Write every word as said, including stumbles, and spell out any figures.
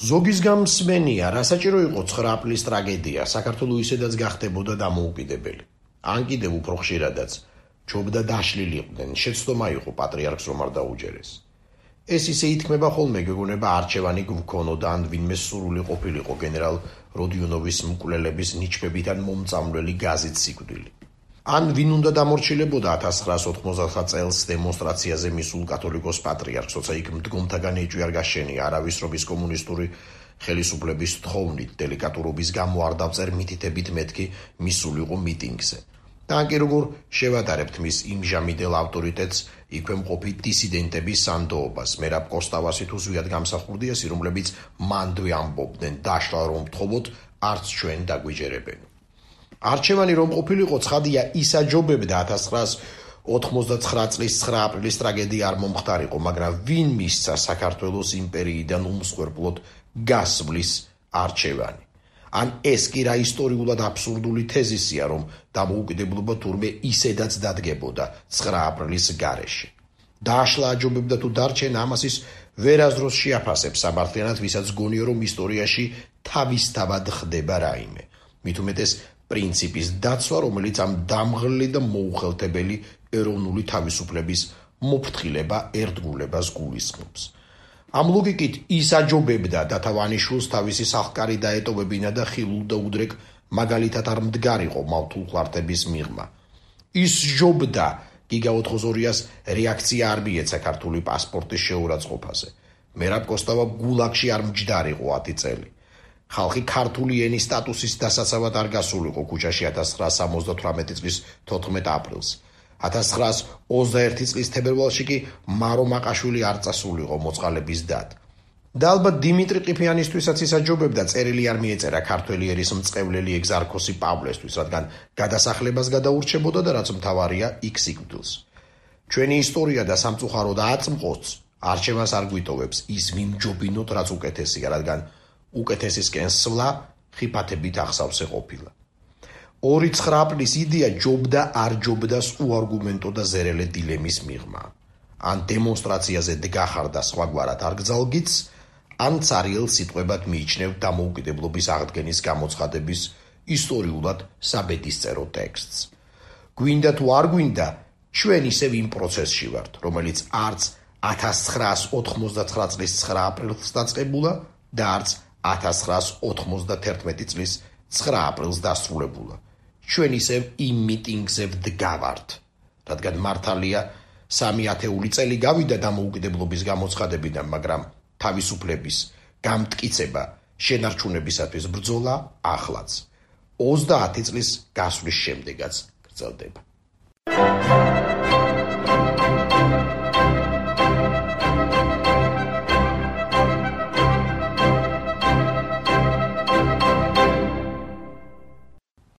ზოგის გამსმენია, რა საჭირო იყო ცხრა აპრილის ტრაგედია, საქართველო ისედაც გახდებოდა დამოუკიდებელი. ან კიდევ უფრო ხშირადაც, ჯობდა დაშლილიყვნენ, შეცდომა იყო პატრიარქს რომ არ დაუჯერეს. ეს ისე ითქმება ხოლმე, გეგონება არჩევანი გვქონოდა, ან ვინმე სურვილი ყოფილიყო გენერალ როდიონოვის მკვლელების ნიჩბებით ან მომწამვლელი გაზით სიკვდილი. ან ვინ უნდა დამორჩილებოდა ათას ცხრაას ოთხმოცდაათი წელს დემონსტრაციაზე მისულ კათოლიკოს პატრიარქს, როცა იქ მდგომთაგან ეჭვი არ გაშენია, არავის რობის კომუნისტური ხელისუფლების თხოვნით, დელიკატურობის გამო არ დავწერ მითითებით მეთქი მისულიყო მიტინგზე. და ან კი როგორ შევადარებთ მის იმჟამიდელ ავტორიტეტს იქვე მყოფი დისიდენტების სანდოობას, მერაბ კოსტავასი თუ ზვიად გამსახურდიასი, რომლებიც მანდვე ამბობდნენ, დაშლა რომ ვთხოვოთ, არც ჩვენ დაგვიჯერებენ. არჩევანი რომ ყოფილიყო, ცხადია ისაჯობებდა ათას ცხრაას ოთხმოცდაცხრა წლის ცხრა აპრილის ტრაგედია არ მომხდარიყო, მაგრამ ვინ მისცა საქართველოს იმპერიიდან უმსხვერპლოდ გასვლის არჩევანი? ან ეს კი რა ისტორიულად აბსურდული თეზისია, რომ დამოუკიდებლობა თურმე ისედაც დადგებოდა ცხრა აპრილის გარეშე. დაშლა აჯობებდა თუ დარჩენა, ამას ის ვერასდროს შეაფასებს სამართლიანად, ვისაც გონია რომ ისტორიაში თავისთავად ხდება რაიმე. მით უმეტეს პრინციპის დაცვა, რომელიც ამ დამღლელი და მოუხელთებელი ეროვნული თავისუფლების მოფრთხილება ერთგულებას გულისხმობს. ამ ლოგიკით ის აჯობებდა დათავანიშვილს თავისი სახკარი დაეტოვებინა და ხილულ და უდრეკ მაგალითად არ მდგარიყო მავთულ ხლარტების მიღმა. ის ჯობდა გიგა ოთხმოცდაორიას რეაქცია არ მიეცა ქართული პასპორტის შეურაცხყოფაზე. მერაბ კოსტავა გულაგში არ მჯდარიყო ათი წელი. ხალხი ქართული ენის სტატუსის დასაცავად არ გასულიყო ქუჩაში ათას ცხრაას სამოცდათვრამეტი წლის თოთხმეტ აპრილს. ათას ცხრაას ოცდაერთი წლის თებერვალში კი მარო მაყაშვილი არ წასულიყო მოწყალების დად. და ალბათ დიმიტრი ყიფიანისთვისაც ისაჯობებდა, წერილი არ მიეწერა ქართველი ერის მწყევლელი ეგზარქოსი პავლესთვის, რადგან გადასახლებას გადაურჩებოდა და რაც მთავარია იქ სიკვდილს. ჩვენი ისტორია და სამწუხაროდ აწმყოც არჩევანს არ გვიტოვებს ის ვიმჯობინოთ, რაც უკეთესია, რადგან უკეთესისკენ სვლა ხიფათებით ახსავსე ყოფილა. ორი ცხრა აპრილის იდეა ჯობდა არ ჯობდას უარგუმენტო და ზერელე დილემის მიღმა. ან დემონსტრაციაზე დგახარ და სხვაგვარად არ გძალგიც, ან цаრიელ სიტყვებად მიიჩნევ დამოუკიდებლობის აღდგენის გამოცხადების ისტორიულად საბედისწერო ტექსტს. გვინდა თუ არ გვინდა, ჩვენ ისევ იმ პროცესში ვართ, რომელიც არც ათას ცხრაას ოთხმოცდაცხრა წლის ცხრა აპრილს დაწყებულა და არც ათას ცხრაას ოთხმოცდათერთმეტი წლის ცხრა აპრილს დასრულებულა. ჩვენ ისევ იმ მიტინგზე ვდგავართ, რადგან მართალია სამი ათეული წელი გავიდა დამოუკიდებლობის გამოცხადებიდან, მაგრამ თავისუფლების გამტკიცება შენარჩუნებისათვის ბრძოლა ახლაც ოცდაათი წლის გასვლის შემდეგაც გრძელდება.